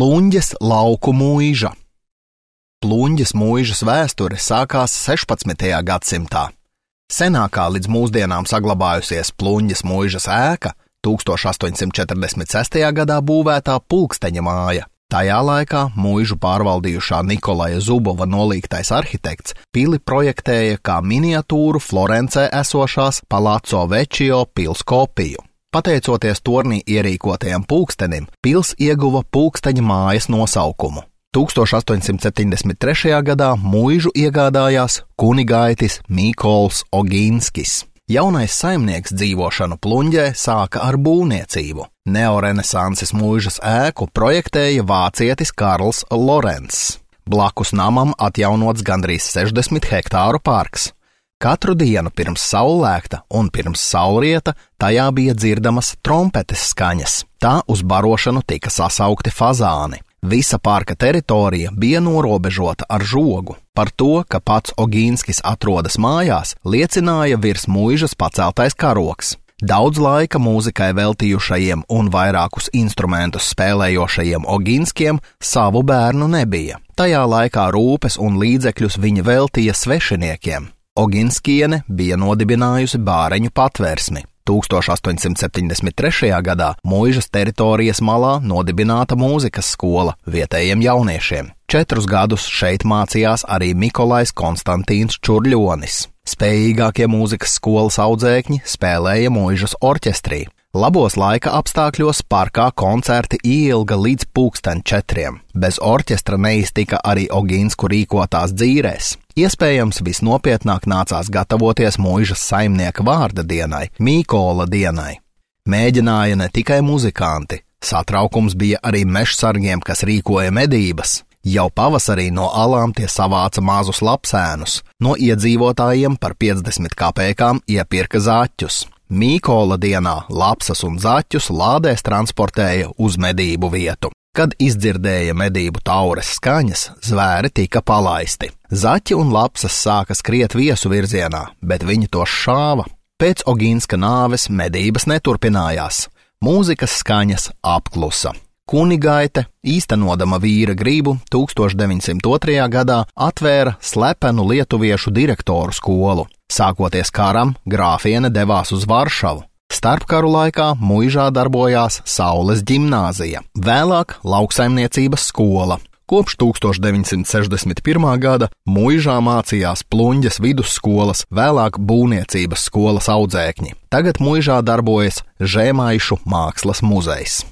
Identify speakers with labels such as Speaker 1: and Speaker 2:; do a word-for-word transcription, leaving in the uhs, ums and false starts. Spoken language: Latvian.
Speaker 1: Pluņģes lauku mūiža. Pluņģes mūižas vēsture sākās sešpadsmitajā gadsimtā. Senākā līdz mūsdienām saglabājusies Pluņģes mūižas ēka tūkstoš astoņsimt četrdesmit sestajā gadā būvētā pulksteņa māja. Tajā laikā mūižu pārvaldījušā Nikolaja Zubova nolīgtais arhitekts pili projektēja kā miniatūru Florencē esošās Palazzo Vecchio pils kopiju. Pateicoties tornī ierīkotajam pulkstenim, pils ieguva pulksteņa mājas nosaukumu. tūkstoš astoņsimt septiņdesmit trešajā gadā mūižu iegādājās kunigaitis Mīkols Ogīnskis. Jaunais saimnieks dzīvošanu Pluņģē sāka ar būvniecību. Neorenesanses mūižas ēku projektēja vācietis Karls Lorencs. Blakus namam atjaunots gandrīz sešdesmit hektāru parks. Katru dienu pirms saulēkta un pirms saulrieta tajā bija dzirdamas trompetes skaņas. Tā uz barošanu tika sasaukti fazāni. Visa parka teritorija bija norobežota ar žogu. Par to, ka pats Ogīnskis atrodas mājās, liecināja virs mūižas paceltais karoks. Daudz laika mūzikai veltījušajiem un vairākus instrumentus spēlējošajiem Ogīnskiem savu bērnu nebija. Tajā laikā rūpes un līdzekļus viņa veltīja svešiniekiem. Ogīnskiene bija nodibinājusi bāreņu patvērsmi. tūkstoš astoņsimt septiņdesmit trešajā gadā mūižas teritorijas malā nodibināta mūzikas skola vietējiem jauniešiem. Četrus gadus šeit mācījās arī Mikolajs Konstantīns Čurļonis. Spējīgākie mūzikas skolas audzēkņi spēlēja mūižas orķestrī. Labos laika apstākļos parkā koncerti ieilga līdz pulksten četriem. Bez orķestra neiztika arī Ogīnsku rīkotās dzīrēs. Iespējams, visnopietnāk nācās gatavoties mūižas saimnieka vārda dienai, Mīkola dienai. Mēģināja ne tikai muzikanti, satraukums bija arī mežsargiem, kas rīkoja medības. Jau pavasarī no alām tie savāca mazus lapsēnus, no iedzīvotājiem par piecdesmit kapekām iepirka zaķus. Mīkola dienā lapsas un zaķus lādēs transportēja uz medību vietu. Kad izdzirdēja medību taures skaņas, zvēri tika palaisti. Zaķi un lapsas sāka skriet viesu virzienā, bet viņi tos šāva. Pēc Ogīnska nāves medības neturpinājās. Mūzikas skaņas apklusa. Kunigaite, īstenodama vīra gribu, tūkstoš deviņsimt otrajā gadā atvēra slepenu lietuviešu direktoru skolu. Sākoties karam, grāfiene devās uz Varšavu. Starpkaru laikā mūižā darbojās Saules ģimnāzija, vēlāk lauksaimniecības skola. Kopš tūkstoš deviņsimt sešdesmit pirmā gada mūižā mācījās Pluņģes vidusskolas, vēlāk būvniecības skolas audzēkņi. Tagad mūižā darbojas Žēmaišu mākslas muzejs.